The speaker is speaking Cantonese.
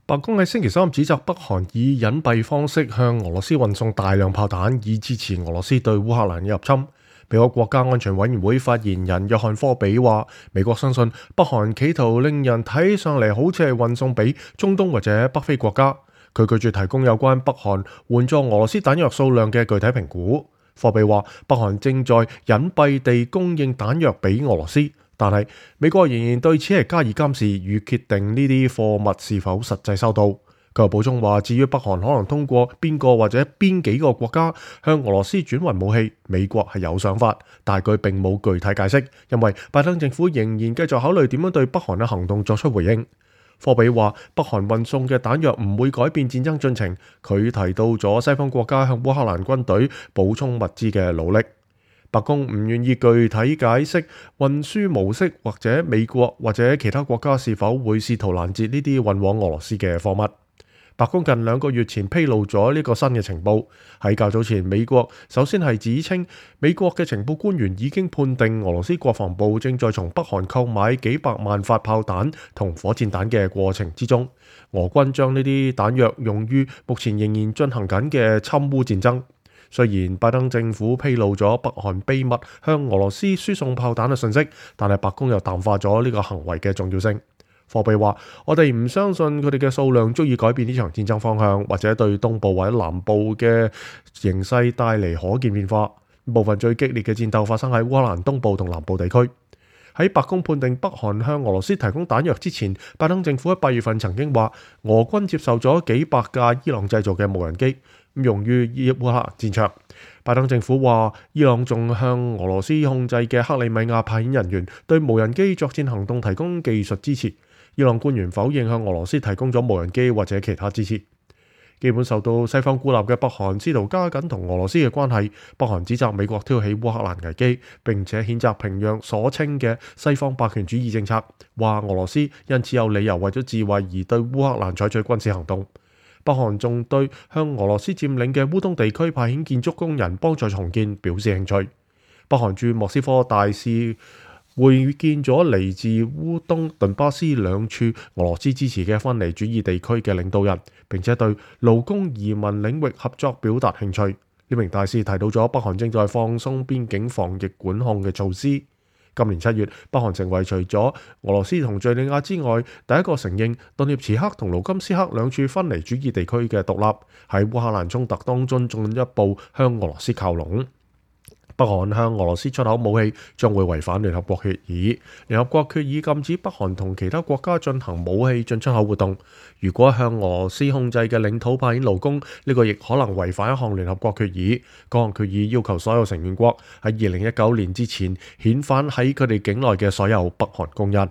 白宮喺星期三指責北韓以隱蔽方式向俄羅斯運送大量炮彈，以支持俄羅斯對烏克蘭嘅入侵。美國國家安全委員會發言人約翰科比話，美國相信北韓企圖令人睇上嚟好似係運送俾中東或者北非國家。佢拒絕提供有關北韓援助俄羅斯彈藥數量嘅具體評估。科比話，北韓正在隱蔽地供應彈藥俾俄羅斯，但係美國仍然對此係加以監視與決定呢啲貨物是否實際收到。佢又補充話，至於北韓可能通過邊個或者邊幾個國家向俄羅斯轉運武器，美國係有想法，但係佢並冇具體解釋，因為拜登政府仍然繼續考慮點樣對北韓嘅行動作出回應。科比話，北韓運送嘅彈藥唔會改變戰爭進程。佢提到咗西方國家向烏克蘭軍隊補充物資嘅努力。白宮唔願意具體解釋運輸模式，或者美國或者其他國家是否會試圖攔截呢啲運往俄羅斯嘅貨物。白宮近2個月前披露咗呢個新嘅情報。喺較早前，美國首先係指稱美國嘅情報官員已經判定俄羅斯國防部正在從北韓購買幾百萬發炮彈同火箭彈嘅過程之中，俄軍將呢啲彈藥用於目前仍然進行緊嘅侵烏戰爭。雖然拜登政府披露咗北韓秘密向俄羅斯輸送炮彈嘅信息，但係白宮又淡化咗呢個行為嘅重要性。科比話，我哋唔相信佢哋嘅數量足以改變呢場戰爭方向，或者對東部或者南部嘅形勢帶嚟可見變化。部分最激烈嘅戰鬥發生喺烏克蘭東部同南部地區。喺白宮判定北韓向俄羅斯提供彈藥之前，拜登政府喺8月份曾經話，俄軍接受咗幾百架伊朗製造嘅無人機，用於烏克蘭戰場。拜登政府話，伊朗仲向俄羅斯控制嘅克里米亞派遣人員對無人機作戰行動提供技術支持。伊朗官員否認向俄羅斯提供咗無人機或者其他支持。基本受到西方孤立嘅北韓試圖加緊同俄羅斯嘅關係。北韓指責美國挑起烏克蘭危機，並且譴責平壤所稱嘅西方霸權主義政策，話俄羅斯因此有理由為咗自衛而對烏克蘭採取軍事行動。北韓仲對向俄羅斯佔領嘅烏東地區派遣建築工人幫助重建表示興趣。北韓駐莫斯科大使會見咗嚟自烏東頓巴斯2處俄羅斯支持嘅分離主義地區嘅領導人，並且對勞工移民領域合作表達興趣。呢名大使提到咗北韓正在放鬆邊境防疫管控嘅措施。今年7月，北韓成為除咗俄羅斯同敘利亞之外第一個承認頓涅茨克同盧甘斯克2處分離主義地區嘅獨立，喺烏克蘭衝突當中進一步向俄羅斯靠攏。北韓向俄羅斯出口武器將會違反聯合國決議。聯合國決議禁止北韓同其他國家進行武器進出口活動。如果向俄羅斯控制嘅領土派遣勞工，呢個亦可能違反一項聯合國決議。嗰項決議要求所有成員國喺2019年之前遣返喺佢哋境內嘅所有北韓工人。